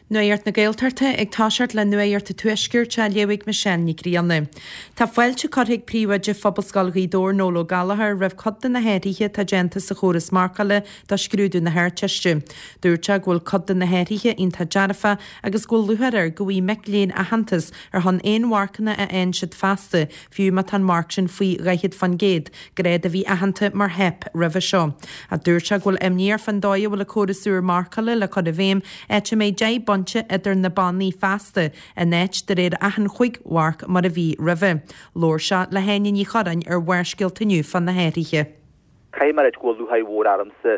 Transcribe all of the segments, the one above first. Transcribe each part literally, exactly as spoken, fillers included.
Nuacht na Gaeltachta ag toiseacht le Nuacht an Tuaiscirt á léamh ag Michelle Nic Grianna. Tá fáilte curtha ag príomhoide Phobalscoil Ghaoth Dobhair Noel Ó Gallchóir roimh cuid de na hathruithe atá déanta sa chóras marcála do scrúdú na hArdteiste. Dúirt sé go bhfuil cuid de na hathruithe iontach dearfa agus go bhfuil lúcháir air go bhfaighidh mic léinn aitheantas ar shon aon mharcanna a fhaigheann siad feasta, fiú má tá an marc sin faoi dhaichead faoin gcéad, grád a bhí aitheanta mar theip roimhe seo. A dúirt sé go bhfuil imní air fán dóigh a bhfuil an córas úr marcála le cur i bhfeidhm áit a mbeidh deich bpointe idir na bannaí feasta in áit de réir achan chúig mharc mar a bhí roimhe. Labhair sé le hÁine Ní Churráin ar Bharrscéalta inniu fá na hathruithe. Caithfidh mé a rá go bhfuil lúcháir mhór ormsa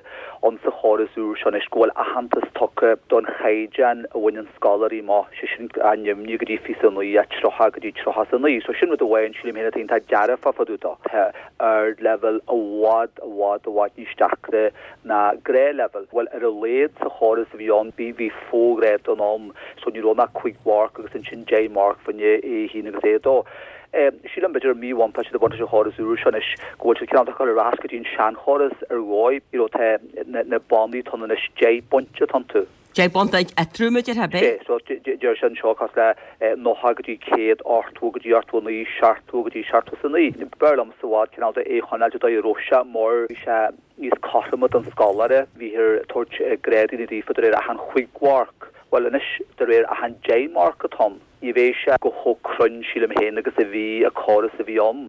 ann sa chóras úr seo anois go bhfuil aitheantas tugtha don chaighdeán a bhaineann scoláirí amach, sé sin a neamhní go dtí fiche a naoi, a tríocha go dtí tríocha a naoi. So sin rud amháin sílim féin atá iontach dearfach fá dtaobh dó. Tá ardleibhéal i bhfad i bhfad i bhfad níos deacra ná gnáthleibhéal. Bhuel ar a laghad sa chóras a bhí ann bhí bhí foghrád an ann so ní raibh ach cúig mharc agus ansin deich marc fá choinne A haon agus A dó. Sílim b'fhéidir míbhuntáiste de bhuntáiste chóras úr seo anois go bhfuil siad cineál cur ar ais go dtí an seanchóras ar dhóigh you know tá na na bannaí atá ann anois deich bpointe atá iontu. Deich bpointe eatarthu ar bith? Sé so deir sé anseo cosúil le nócha go dtí céad, ochtó go dtí ochtó a naoi, seachtó go dtí seachtó is a naoi. B'fhearr liomsa i bhfad cineál de é a choinneáil de dóigh a raibh sé mar bhí sé níos cothroime don scoláire, bhíthear ag tabhairt grádanna daofa de réir achan chúig mharc. Bhuel anois de réir achan deich marc atá ann. Ní bheidh sé go chomh cruinn sílim féin agus a bhí an córas a bhí ann.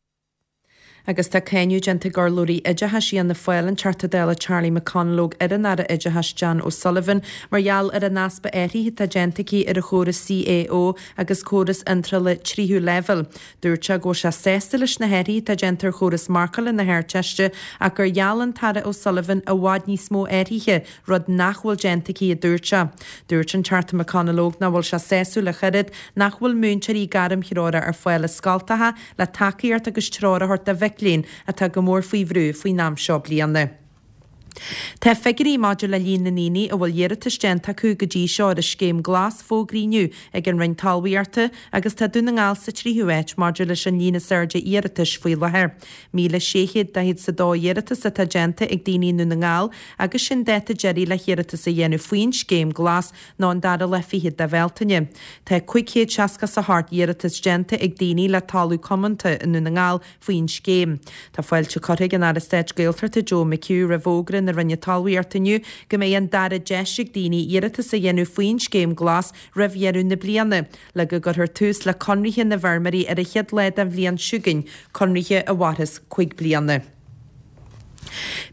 Agus tá cáineadh déanta ag urlabhraí oideachais Fhianna Fáil an Teachta Dála Charlie McConalogue ar an Aire Oideachais Jan O'Sullivan mar gheall ar an easpa athruithe atá déanta aici ar an chóras CAO agus córas iontrála tríú leibhéal. Dúirt sé go bhfuil sé sásta leis na hathruithe atá déanta ar chóras marcála na hArdteiste ach gur gheall an tAire O'Sullivan i bhfad níos mó athruithe, rud nach bhfuil déanta aici a dúirt sé. Dúirt an Teachta McConalogue nach bhfuil sé sásúil ach oiread nach bhfuil múinteoirí gairmthreorach ar fáil i scoltacha le tacaíocht agus treoir a thabhairt do mhic léinn atá go mór faoi bhrú faoin am seo bliana. Tá figiúirí maidir le líon na ndaoine a bhfuil iarratas déanta acu go dtí seo ar an scéim glas fógraithe inniu ag an Roinn Talmhaíochta agus tá Dún na nGall sa tríú háit maidir leis an líon is airde iarratais faoi láthair. Míle sé chéad daichead is a dó iarratas atá déanta ag daoine i nDún na nGall agus sin dáta deiridh le hiarratas a dhéanamh faoin scéim glas ná an dara lá fichead de Bhealtaine. Tá cúig chéad seasca is a hocht iarratas déanta ag daoine le talamh comónta i nDún na nGall faoin scéim. Tá fáilte curtha ag an Aire Stáit Gaeltachta Joe McHugh roimh fhógra na Roinne Talmhaíochta inniu go mbeidh an dara deis ag daoine iarratas a dhéanamh faoin scéim glas roimh dheireadh na bliana, le go gcuirfear tús le conarthaí na bhfeirmeoirí ar an chéad lá den bhliain seo chugainn, conarthaí a mhairfeas cúig bliana.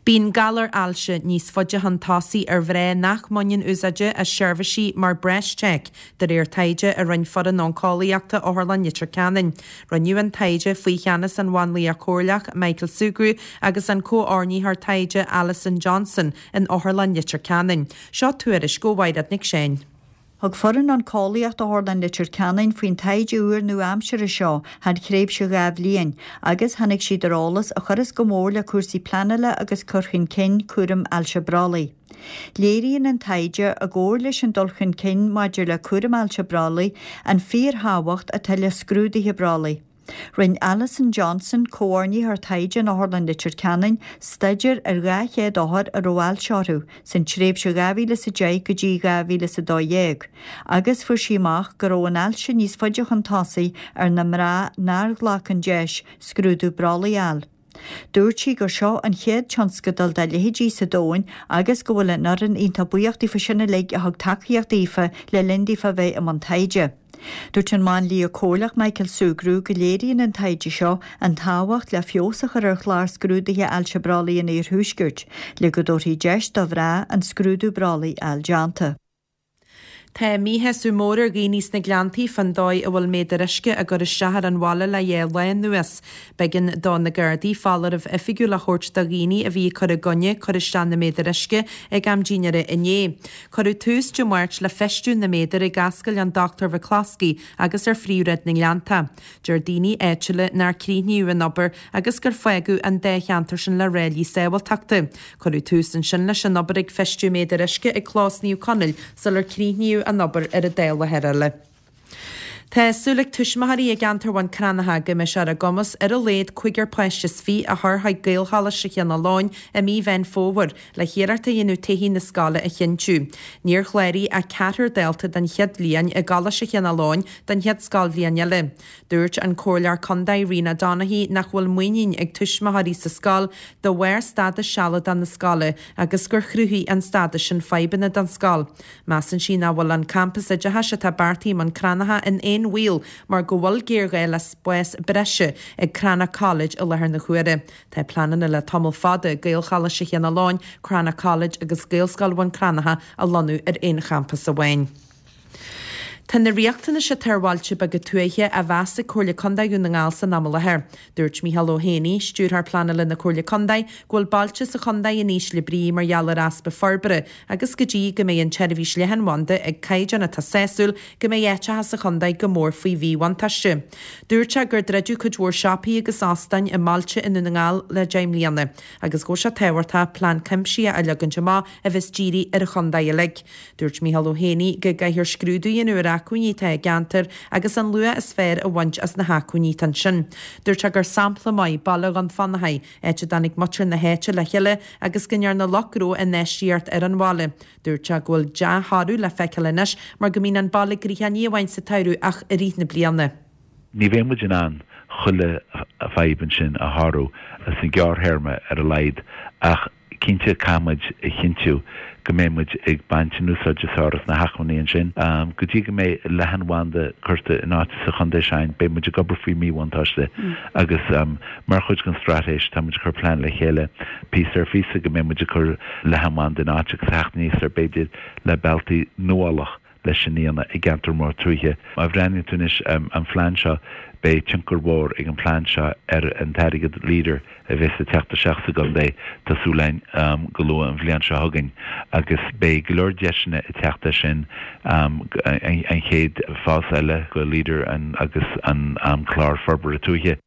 Bíonn galar ailse níos faide chun tosaigh ar mhná nach mbaineann úsáide as seirbhísí mar BreastCheck, de réir taighde a rinne foireann oncólaíochta Otharlann Leitir Ceanainn. Rinneadh an taighde faoi cheannas an mháinlia comhairleach Michael Sugrue agus an comhordaitheoir taighde Alison Johnson in Otharlann Leitir Ceanainn. Seo tuairisc ó Mhaighread Nic Seáin. Thug foireann oncólaíochta Otharlann Leitir Ceanainn faoin taighde úr nua-aimseartha seo thar thréimhse dhá bhliain agus tháinig siad ar eolas a chuireas go mór le cúrsaí pleanála agus cur chun cinn cúram ailse brollaigh. Léiríonn an taighde i gcomhar leis an dul chun cinn maidir le cúram ailse brollaigh an fíorthábhacht atá le scrúduithe brollaigh. Rinne Alison Johnson, comhordaitheoir taighde in Otharlann Leitir Ceanainn, staidéar ar dhá chéad othar a raibh ailse orthu san tréimhse dhá mhíle is a deich go dtí dhá mhíle is a dó dhéag, agus fuair sí amach go raibh an ailse níos faide chun tosaigh ar na mná nár ghlac an deis scrúdú brollaigh a fháil. Dúirt sí gur seo an chéad tionscadal dá leithéidí sa domhan agus go bhfuil an fhoireann iontach buíoch daofa sin uilig a thug tacaíocht daofa le linn daofa a bheith i mbun taighde. Dúirt an máinlia comhairleach Michael Sugrue go léiríonn an taighde seo an tábhacht le feabhas a chur ar chlár scrúdaithe ailse brollaigh an Iarthuaiscirt, le go dtabharfaí deis do mhná an scrúdú brollaigh a fháil déanta. Tá míshásamh mór ar dhaoine sna Gleanntaí fán dóigh a bhfuil méadair uisce á gcur isteach ar an bhaile le dhá lá anuas. B'éigean do na Gardaí foláireamh oifigiúil a thabhairt do dhaoine a bhí ag cur i gcoinne cur isteach na méadar uisce ag am dinnéara inné. Cuireadh tús Dé Máirt le feistiú na méadar ag Ascaill an Dr McCloskey agus ar Phríomhshráid na nGleannta. Deir daoine áitiúla nár críochnaíodh an obair agus gur fágadh an dá cheantar sin le ráillí sábháilteachta. Cuireadh tús ansin leis an obair ag feistiú méadar uisce ag Clós Naomh Conaill sular críochnaíodh an obair ar an dá láthair eile. Tá súil ag tuismitheoirí i gceantar Bhun Cranncha go mbeidh sé ar a gcumas ar a laghad cúigear páiste is fiche a chur chuig Gaelcholáiste Chionn Fhaoláin i mí Mheán Fómhair le hiarracht a dhéanamh todhchaí na scoile a chinntiú. Níor chláraigh ach ceathrar dalta den chéad bhliain i gColáiste Chionn Fhaoláin don chéad scoilbhliain eile. Dúirt an Comhairleoir Contae Rena Donaghey nach bhfuil muinín ag tuismitheoirí sa scoil de bharr stádas sealadach na scoile agus gur chruthaigh an stádas sin fadhbanna don scoil. Measann sí nach bhfuil an campas oideachais atá beartaithe i mBun Cranncha in aon bhaol mar go bhfuil géarghá le spás breise ag Crannach College i láthair na huaire. Tá pleananna le tamall fada Gaelcholáiste Chionn Fhaoláin, Crannach College agus Gaelscoil Bhun Cranncha a lonnú ar aon champas amháin. Tá na riachtanais atá ar bhailte beaga tuaithe á mheas ag Comhairle Contae Dhún na nGall san am i láthair. Dúirt Micheál Ó Héanaí, Stiúrthóir Pleanála na Comhairle Contae, go bhfuil bailte sa chontae in ísle brí mar gheall ar easpa forbartha agus go dtí go mbeidh an tseirbhís leathanbhanda ag caighdeán atá sásúil go mbeidh áiteacha sa chontae go mór faoi mhíbhuntáiste. Dúirt sé gur druideadh cuid mhór siopaí agus óstáin i mbailte i nDún na nGall le deich mbliana agus go bhfuil sé tábhachtach plean cuimsitheach a leagaint amach a bheas dírithe ar an chontae uilig. Dúirt Micheál Ó Héanaí go gcaithfear scrúdú a dhéanamh ar acmhainní atá i gceantar agus an luach is fearr a bhaint as na hacmhainní atá ansin. Dúirt sé gur sampla maith Baile Dhún Fionnachaidh, áit a dtáinig muintir na háite le chéile agus go ndearna lucht gnó infheistíocht ar an bhaile. Dúirt sé go bhfuil dea-thoradh le feiceáil anois mar go mbíonn an baile gnoitheach ní amháin sa tsamhradh ach i rith na bliana. Ní bheidh muid in ann chuile fadhb ansin a shárú sa ghearrthéarma ar a laghad ach cinnte caithfidh muid a chinntiú go mbeidh muid ag baint an úsáid is fearr as na hacmhainní ansin. Go dtí go mbeidh leathanbhanda curtha in áit sa chontae sin, beidh muid ag obair faoi mhíbhuntáiste agus mar chuid den straitéis tá muid ag cur plean le chéile píosa ar phíosa go mbeidh muid ag cur leathanbhanda in áit agus theacht aníos ar b'fhéidir le bealtaí nuálach leis an dhéanamh i gceantar mór tuaithe. Má bhreathnaíonn tú anois an phlean seo, beidh tionchar mhór ag an phlean seo ar an t-airgead Leader a bheas ag teacht isteach sa gcontae, tá súil againn go luath an bhliain seo chugainn, agus beidh go leor deiseanna ag teacht as sin, an chéad fás eile go Leader agus an clár forbartha tuaithe.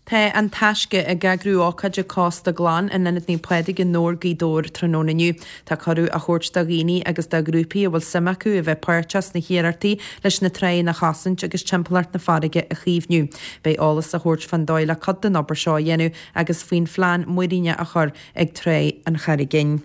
Tá An Taisce ag eagrú ócáide Cósta Glan in Ionad Naomh Pádraig i nDobhar, Gaoth Dobhair tráthnóna inniu. Tá cuireadh á thabhairt do dhaoine agus do ghrúpaí a bhfuil suim acu a bheith páirteach sna hiarrachtaí leis na tráigheanna a chosaint agus timpeallacht na farraige a chaomhnú. Beidh eolas á thabhairt fán dóigh le cuid den obair seo a dhéanamh agus faoin phlean muiríne a chur ag Tráigh an Charraigín.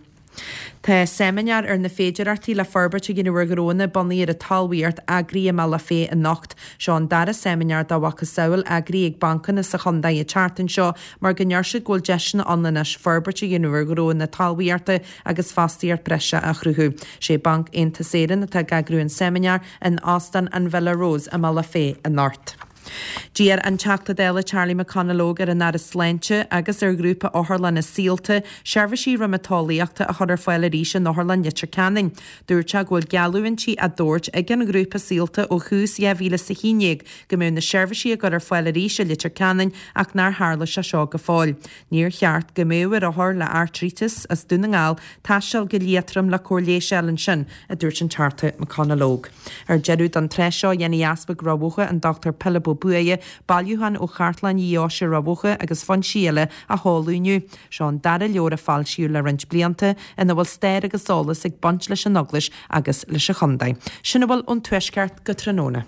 Tá seimineár ar na féidearthachtaí le forbairt a dhéanamh ar ghnónna bunaithe ar an talmhaíocht eagraithe i mBealach Féich anocht. Seo an dara seimineár dá mhacasamhail eagraithe ag bancanna sa chontae an tseachtain seo mar go ndeir siad go bhfuil deiseanna ann anois forbairt a dhéanamh ar ghnónna talmhaíochta agus fostaíocht breise a chruthú. Sé Banc Aontas Éireann atá ag eagrú an seimineár in Óstán an Villa Rose i mBealach Féich anocht. D'iarr an Teachta Dála Charlie McConalogue ar an Aire Sláinte agus ar Ghrúpa Otharlanna Saolta seirbhísí riomatólaíochta a chur ar fáil arís in Otharlann Leitir Ceanainn. Dúirt sé go bhfuil geallúintí á dtabhairt ag an ghrúpa Saolta ó thús dhá mhíle is a haon déag go mbeadh na seirbhísí á gcur ar fáil arís i Leitir Ceanainn ach nár tharla sé seo go fóill. Níor cheart go mbeadh ar othar le airtríteas as Dún na nGall taisteal go Liatroim le cóir leighis a fháil ansin, a dúirt an Teachta McConalogue. Ar deireadh don tráth seo, dhéanfaidh Easpag Ráth Bhoth, an Dochtúir Pilib Ó Buaidhe, bailiúchán ó Chartlann Dheoise Ráth Bhoth agus foinsí eile a sheoladh inniu. Seo an dara leabhar a foilsíodh le roinnt blianta ina bhfuil stair agus eolas ag baint leis an Eaglais agus leis an chontae. Sin a bhfuil ón Tuaisceart go tráthnóna.